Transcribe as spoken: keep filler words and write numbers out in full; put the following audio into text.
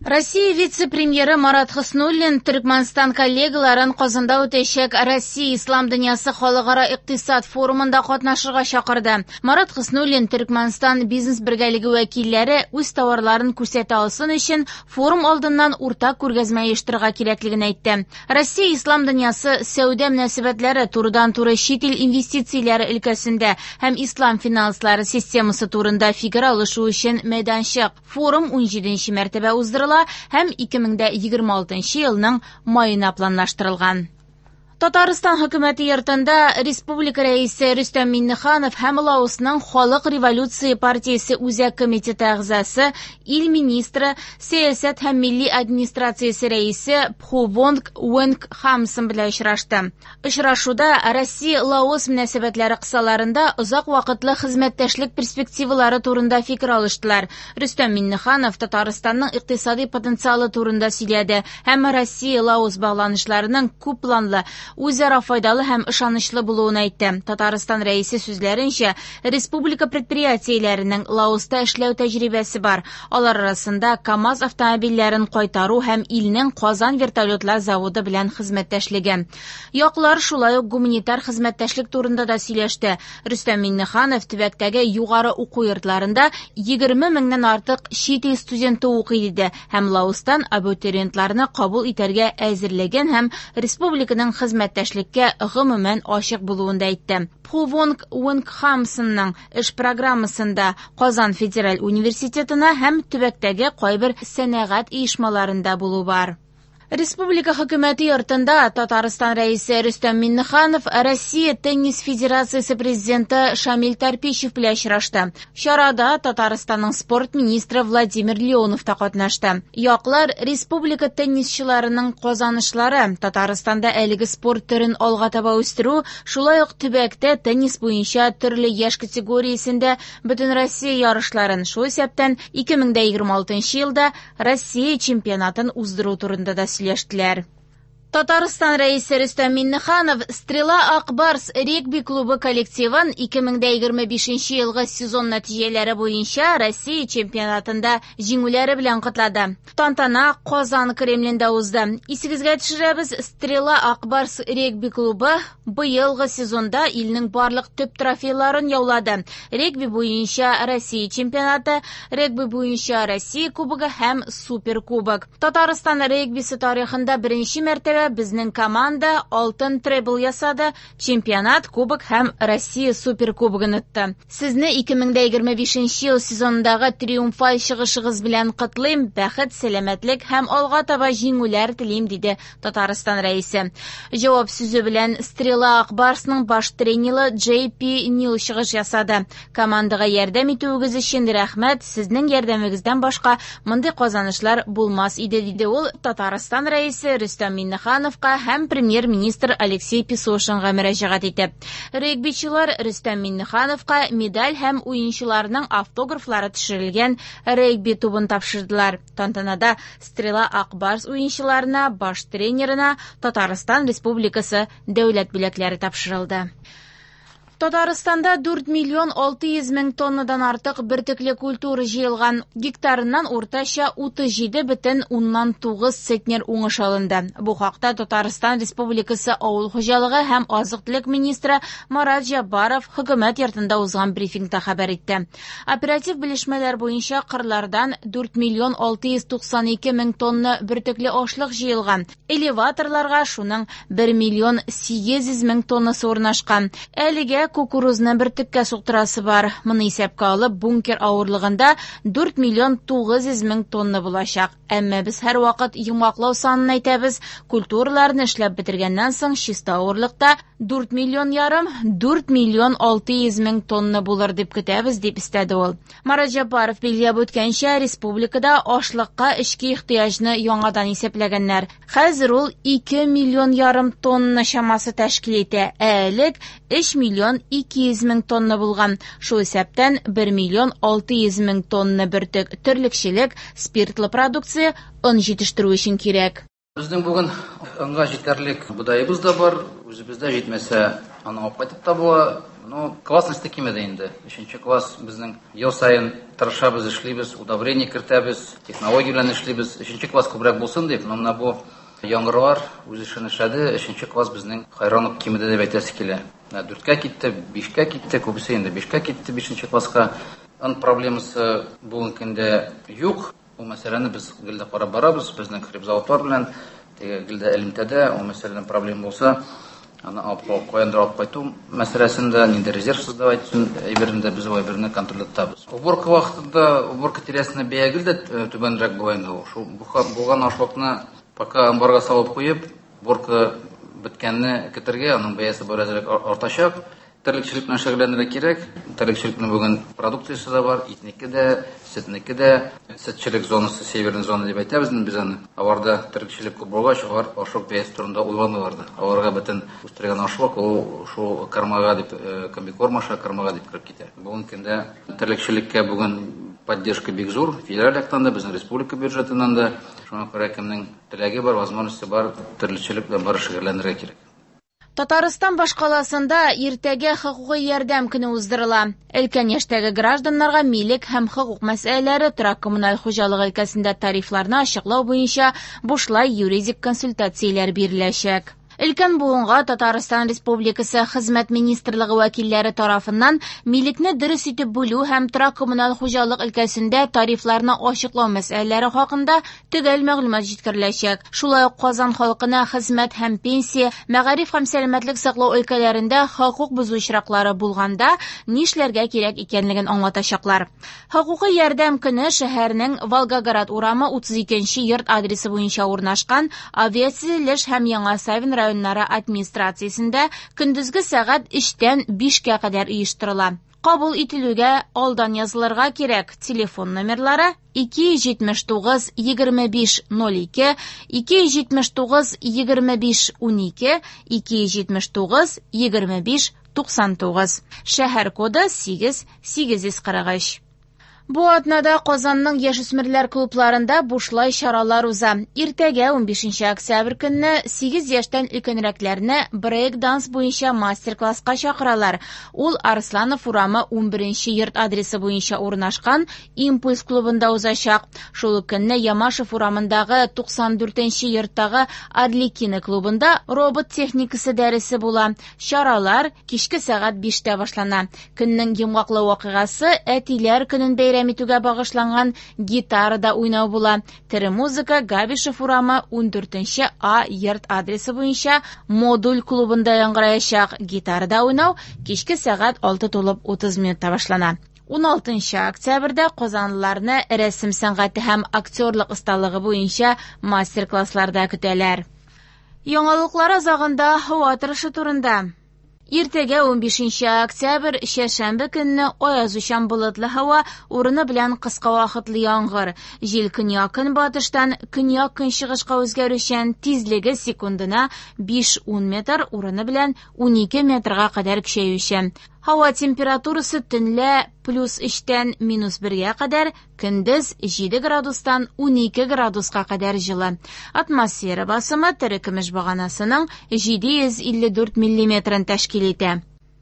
Россия вице-премьеры Марат Хөснуллин Төркмәнстан коллегаларын Казанда үтәчәк Россия Ислам дөньясы халыкара икътисад форумында катнашырга чакырды. Марат Хөснуллин Төркмәнстан бизнес бергәлеге вәкилләре үз товарларын күрсәтә алсын өчен форум алдыннан уртак күргәзмә оештырырга кирәклеген әйтте. Россия Ислам дөньясы сәүдә мөнәсәбәтләре турыдан-туры чит ил инвестицияләре өлкәсендә һәм ислам финанслары системасы турында фикер алышу өчен мәйданчык. Форум унҗиденче мәртәбә уздырыла һәм ике мең дә егерме алтынчы елның маена планлаштырылган. Татарстан хөкүмәте йортында Республика рәисе Рөстәм Миңнеханов һәм Лаосның Халык революция партиясе үзәк комитеты әгъзасы, ил министры, сәясәт һәм милли администрациясе рәисе Пхувонг Уэнг Хамсон белән очрашты. Очрашуда Россия-Лаос мөнәсәбәтләре кысаларында озак вакытлы хезмәттәшлек перспективалары турында фикер алыштылар. Рөстәм Миңнеханов Татарстанның икътисади потенциалы турында сөйләде һәм Россия-Лаос багланышларының күп планлы, үзара файдалы һәм ышанычлы булуын әйтте. Татарстан рәисе сүзләренчә, республика предприятиеләренең Лаоста эшләү тәҗрибәсе бар. Алар арасында КАМАЗ автомобильләрен кайтару һәм илнең Казан вертолетлар заводы белән хезмәттәшлеге. Яклар шулай ук гуманитар хезмәттәшлек турында да сөйләште. Рөстәм Миңнеханов төбәктәге югары уку йортларында егерме меңнән артык чит ил студенты укый диде һәм Лаостан абитуриентларны кабул итәргә әзерлеген һәм республиканың хезмәттәшлеккә гомумән ачык булуын да әйтте. Пхувонг Уэнг Хамсонның эш программасында Казан федераль университетына һәм төбәктәге кайбер сәнәгать оешмаларында булу бар. Республика хөкүмәте йортында Татарстан рәисе Рөстәм Миңнеханов Россия теннис федерациясе президенты Шамил Тарпищев белән очрашты. Чарада Татарстанның спорт министры Владимир Леонов та катнашты. Яклар республика теннисчыларының казанышлары, Татарстанда әлеге спорт төрен алга таба үстерү, шулай ук төбәктә теннис буенча төрле яшь категориясендә бөтен Россия ярышларын, шул исәптән ике мең дә егерме алтынчы елда Россия чемпионатын уздыру турында да сөйләштеләр. Татарстан рәисе Рөстәм Миңнеханов Стрела Акбарс регби клубы коллективын ике мең дә егерме бишенче елгы сезон нәтиҗәләре буенча Россия чемпионатында җиңүләре белән котлады. Тантана Казан Кремлендә узды. Исегезгә төшерәбез, Стрела Акбарс регби клубы быелгы сезонда илнең барлык төп трофейларын яулады. Регби буенча Россия чемпионаты, регби буенча Россия кубогы һәм суперкубок. Татарстан регбисы тарихында беренче мәртәбә безнең команда алтын требл ясады, чемпионат, кубок һәм Россия суперкубогын отты. Сезне ике мең дә егерме бишенче ел сезонындагы триумфаль чыгышыгыз белән котлыйм, бәхет, сәламәтлек һәм алга таба җиңүләр телим, диде Татарстан рәисе. Җавап сүзе белән Стрела Акбарсның баш тренеры Джей Пи Нил чыгыш ясады. Командага ярдәм итүегез өчен рәхмәт, сезнең ярдәмегездән башка мондый казанышлар булмас иде, диде ул Татарстан рәисе Рөстәм Миңнехановка һәм премьер-министр Алексей Песошинга мөрәҗәгать итеп. Регбичылар Рөстәм Миңнехановка медаль һәм уенчыларның автографлары төшерелгән регби тубын тапшырдылар. Тантанада Стрела Акбарс уенчыларына, баш тренерына Татарстан Республикасы дәүләт бүләкләре тапшырылды. Татарстанда дүрт миллион алты йөз мең тоннадан артык бөртекле культура җыелган. Гектарыннан уртача утыз җиде бөтен уннан тугыз центнер уңыш алынды. Бу хакта Татарстан Республикасы Авыл хуҗалыгы һәм азык-төлек министры Марат Җаббаров хөкүмәт йортында узган брифингта хәбәр итте. Оператив белешмәләр буенча кырлардан дүрт миллион алты йөз туксан ике мең тонна бөртекле ашлык җыелган. Элеваторларга шуның бер миллион сигез йөз мең тоннасы урнашкан. Әлегә кукурузны бөртеккә суктырасы бар. Моны исәпкә алып, бункер авырлыгында дүрт миллион тугыз йөз мең тонна булачак. Әмма без һәр вакыт йомгаклау санын әйтәбез. Культураларны эшләп бетергәннән соң чиста авырлыкта дүрт миллион ярым, дүрт миллион алты йөз мең тонна булыр дип көтәбез, дип өстәде ул. Марат Җаббаров билгеләп үткәнчә, республикада ашлыкка эчке ихтыяҗны яңадан исәпләгәннәр. Хәзер ул ике миллион ярым тонна чамасы тәшкил итә. Ә элек өч миллион ике йөз мең тонна булган. Шул исәптән бер миллион алты йөз мең тонна бөртек терлекчелек, спиртлы продукция, он җитештерү өчен кирәк. Безнең бүген онга җитәрлек бодаебыз да бар, үзебездә җитмәсә, аны алып кайтып та була. Ну, классность кимеде инде. Өченче класс безнең ел саен тырышабыз, эшлибез, удобрение кертәбез, технология белән эшлибез. Өченче класс күбрәк булсын дип, но менә бу яңгырлар үз эшен эшләде. Өченче класс безнең хайран ук кимеде дип әйтәсе килә. Менә дүрткә китте, бишкә китте, күбесе инде бишкә китте, бишенче класска. Он проблемасы бүгенге көндә юк. Бу мәсьәләне без гел дә карап барабыз, безнең хлебзаводлар белән теге гел дә элемтәдә, ул мәсьәләдән проблема булса, аны алып каяндыр алып кайту мәсьәләсендә нинди резерв создавать өчен әйберен дә без ул әйберне контрольдә тотабыз. Уборка вакытында уборка тирәсендә бәя гел дә түбәнрәк була инде ул. Шул булган ашлыкны пока амбарга салып куеп, уборка беткәнне көтәргә, аның бәясе беразрак артачак. Терлекчелек белән шөгыльләнергә кирәк. Терлекчелекнең бүген продукциясе дә бар, итнеке дә, сөтнеке дә. Сөтчелек зонасы, северный зона дип әйтәбез инде без аны. Аларда терлекчелек күп булгач, алар ашлык бәясе турында уйламыйлар да. Аларга бөтен үстергән ашлык ул шул кормага дип, комбикорм аша кормага дип кереп китә. Бүгенге көндә терлекчелеккә бүген поддержка бик зур, федераль яктан да, безнең республика бюджетыннан да. Шуңа күрә кемнең теләге бар, возможности бар, терлекчелек белән бары шөгыльләнергә кирәк. Татарстан башкаласында иртәгә хокукый ярдәм көне уздырыла. Өлкән яшьтәге гражданнарга милек һәм хокук мәсьәләләре, торак-коммуналь хуҗалык өлкәсендә тарифларны ачыклау буенча бушлай юридик консультацияләр биреләчәк. Өлкән буынга Татарстан Республикасы Хезмәт Министрлыгы вәкилләре тарафыннан милекне дөрес итеп бүлү һәм торак-коммуналь хуҗалык өлкәсендә тарифларны ачыклау мәсьәләләре хакында төгәл мәгълүмат җиткереләчәк. Шулай ук Казан халкына хезмәт һәм пенсия, мәгариф һәм сәламәтлек саклау өлкәләрендә хокук бозу очраклары булганда нишләргә кирәк икәнлеген аңлатачаклар. Хокукый ярдәм көне шәһәрнең Волгоград урамы утыз икенче йорт адресы буенча урнашкан Авиатөзелеш һәм Яңа Савин районнары администрациясендә көндезге сәгать өчтән бишкә кадәр оештырыла. Кабул ителүгә алдан язылырга кирәк. Телефон номерлары ике йөз җитмеш тугыз егерме биш ноль ике, ике йөз җитмеш тугыз егерме биш унике, ике йөз җитмеш тугыз егерме биш туксан тугыз. Шәһәр коды сигез сигез йөз кырык өч. Бу атнада Казанның яшүсмерләр клубларында бушлай чаралар уза. Иртәгә унбишенче октябрь көнне сигез яшьтән өлкәнрәкләрне брейк-данс буенча мастер-класска чакыралар. Ул Арсланов урамы унберенче йорт адресы буенча урнашкан Импульс клубында узачак. Шул ук көнне Ямашев урамындагы туксан дүртенче йорттагы Арлекино клубында робот техникасы дәресе була. Чаралар кичке сәгать биштә башлана. Көннең йомгаклау вакыйгасы Әтиләр көнен бәйрәм итүгә багышланган гитарада уйнау була. Тере музыка Габишев урамы ундүртенче А йорт адресы буенча Модуль клубында яңгыраячак. Гитарада уйнау кичке сәгать алты тулып утыз минутта башлана. Уналтынчы октябрьдә казанлыларны рәсем сәнгате һәм актерлык осталыгы буенча мастер-классларда көтәләр. Яңалыклар азагында һава торышы турында. Иртәгә унбишенче октябрь чәршәмбе көнне аязучан болытлы һава, урыны белән кыска вакытлы яңгыр. Җил көньяк-көнбатыштан көньяк-көнчыгышка үзгәрүчән, тизлеге секундына биш-ун метр, урыны белән унике метрга кадәр көчәючән. Һава температурасы төнлә плюс өчтән минус бергә кадәр, көндез җиде градустан унике градуска кадәр җылы. Атмосфера басымы терекөмеш баганасының җиде йөз илле дүрт миллиметрын тәшкил итә.